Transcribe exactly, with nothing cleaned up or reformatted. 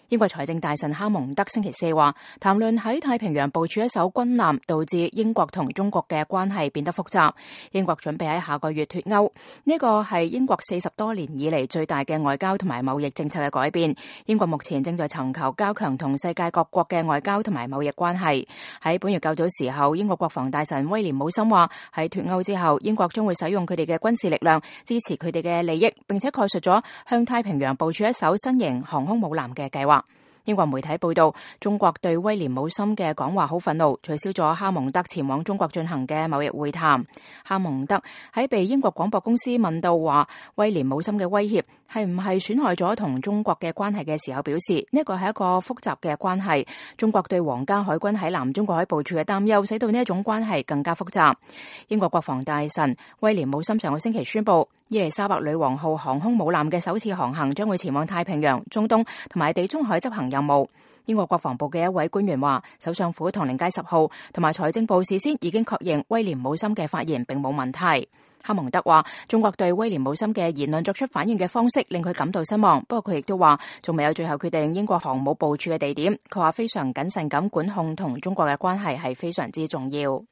英國財政大臣哈蒙德星期四話，談論喺太平洋部署一艘軍艦，導致英國同中國嘅關係變得複雜。英國準備喺下個月脫歐，呢個係英國四十多年以嚟最大嘅外交同埋貿易政策嘅改變。英國目前正在尋求加強同世界各國嘅外交同埋貿易關係。喺本月較早時候，英國國防大臣威廉姆森話，喺脫歐之後，英國將會使用佢哋嘅軍事力量支持佢哋嘅利益，並且概述咗向太平洋部署一艘新型航空母艦嘅計劃。英國媒體報道，中國對威廉姆森嘅講話好憤怒，取消咗哈蒙德前往中國進行嘅貿易會談。哈蒙德喺被英國廣播公司問到話威廉姆森嘅威脅係唔係損害咗同中國嘅關係嘅時候，表示呢個係一個複雜嘅關係。中國對皇家海軍喺南中國海部署嘅擔憂，使到呢一種關係更加複雜。英國國防大臣威廉姆森上個星期宣布，伊麗莎白女王號航空母艦嘅首次航行將會前往太平洋、中東同埋地中海執行任務。英國國防部嘅一位官員話，首相府唐寧街十號同埋財政部事先已經確認威廉姆森嘅發言並冇問題。哈蒙德話，中國對威廉姆森嘅言論作出反應嘅方式令佢感到失望，不過佢亦都話仲未有最後決定英國航母部署嘅地點。佢話非常謹慎咁管控同中國嘅關係係非常之重要。